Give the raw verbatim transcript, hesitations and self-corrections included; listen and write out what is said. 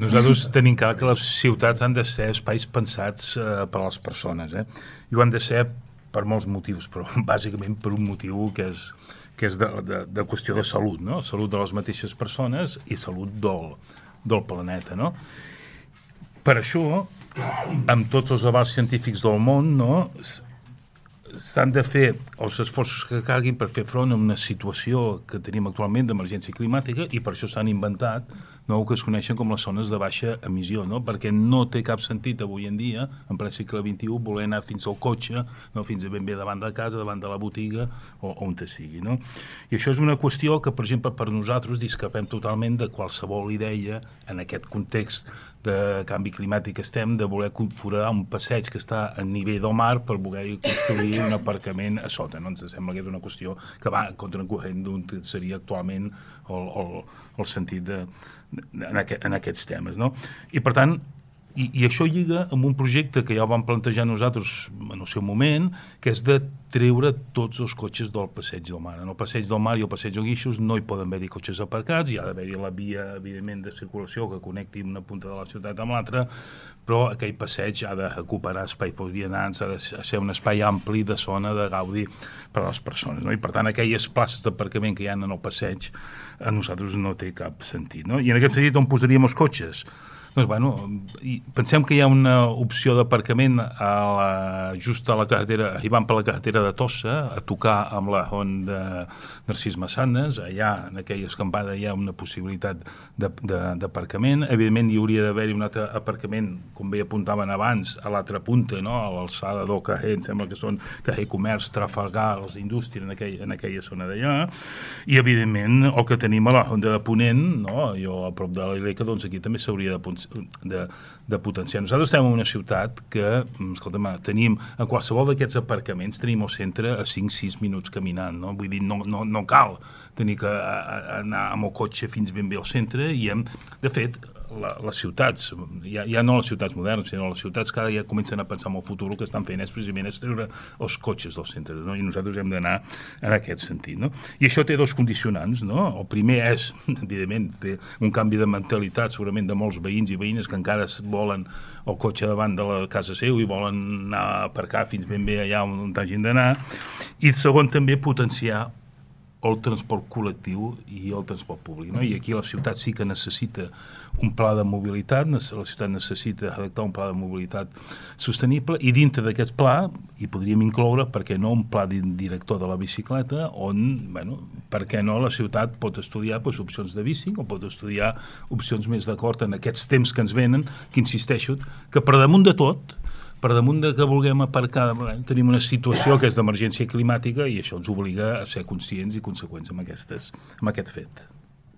Nosaltres tenim clar que les ciutats han de ser espais pensats eh, per a les persones, eh? I ho han de ser per molts motius, però bàsicament per un motiu que és, que és de, de, de qüestió de salut, no? Salut de les mateixes persones i salut del, del planeta, no? Per això, amb tots els avals científics del món, no, s'han de fer els esforços que calguin per fer front a una situació que tenim actualment d'emergència climàtica i per això s'han inventat no, que es coneixen com les zones de baixa emissió, no? Perquè no té cap sentit avui en dia, en ple segle vint-i-u, voler anar fins al cotxe, no? Fins a ben bé davant de casa, davant de la botiga o on te sigui. No? I això és una qüestió que, per exemple, per nosaltres discrepem totalment de qualsevol idea en aquest context de canvi climàtic que estem, de voler foradar un passeig que està a nivell del mar per voler construir un aparcament a sota. No? Ens sembla que és una qüestió que va contracorrent d'un que seria actualment el, el, el sentit de, en, aquest, en aquests temes. No? I per tant, i, i això lliga amb un projecte que ja vam plantejar nosaltres en el seu moment, que és de treure tots els cotxes del passeig del mar. En el passeig del mar i el passeig del Guixos no hi poden haver-hi cotxes aparcats, hi ha d'haver-hi la via, evidentment, de circulació que connecti una punta de la ciutat amb l'altra, però aquell passeig ha de recuperar espai per vianants, ha de ser un espai ampli de zona de gaudi per a les persones. No? I, per tant, aquelles places d'aparcament que hi ha en el passeig a nosaltres no té cap sentit. No? I en aquest sentit, on posaríem els cotxes? Doncs, bueno, pensem que hi ha una opció d'aparcament a la, just a la carretera, arribant per la carretera de Tossa, a tocar amb la Ron de Narcís Massanes. Allà, en aquella escampada, hi ha una possibilitat d'aparcament. Evidentment, hi hauria d'haver-hi un altre aparcament, com bé apuntaven abans, a l'altra punta, no? A l'alçada del carrer, em sembla que són carrer Comerç, Trafalgar, les indústries, en, aquell, en aquella zona d'allà. I, evidentment, el que tenim a la Ronda de Ponent, no? Jo, a prop de la Ileca, doncs aquí també s'hauria de De, de potenciar. Nosaltres estem en una ciutat que, escolta'm, tenim, en qualsevol d'aquests aparcaments tenim el centre a cinc sis minuts caminant, no? Vull dir, no, no, no cal tenir que anar amb el cotxe fins ben bé al centre i hem, de fet, la, les ciutats, ja, ja no les ciutats modernes, sinó les ciutats que ara ja comencen a pensar en el futur, el que estan fent és precisament és treure els cotxes dels centres, no? I nosaltres hem d'anar en aquest sentit, no? I això té dos condicionants, no? El primer és, evidentment, fer un canvi de mentalitat segurament de molts veïns i veïnes que encara volen el cotxe davant de la casa seu i volen anar a aparcar fins ben bé allà on hagin d'anar. I segon, també potenciar el transport col·lectiu i el transport públic. No? I aquí la ciutat sí que necessita un pla de mobilitat, la ciutat necessita redactar un pla de mobilitat sostenible i dintre d'aquest pla hi podríem incloure, per què no, un pla director de la bicicleta on, bueno, per què no, la ciutat pot estudiar doncs, opcions de bici o pot estudiar opcions més d'acord en aquests temps que ens venen, que insisteixo, que per damunt de tot per damunt de que vulguem aparcar, tenim una situació que és d'emergència climàtica i això ens obliga a ser conscients i conseqüents amb, aquestes, amb aquest fet.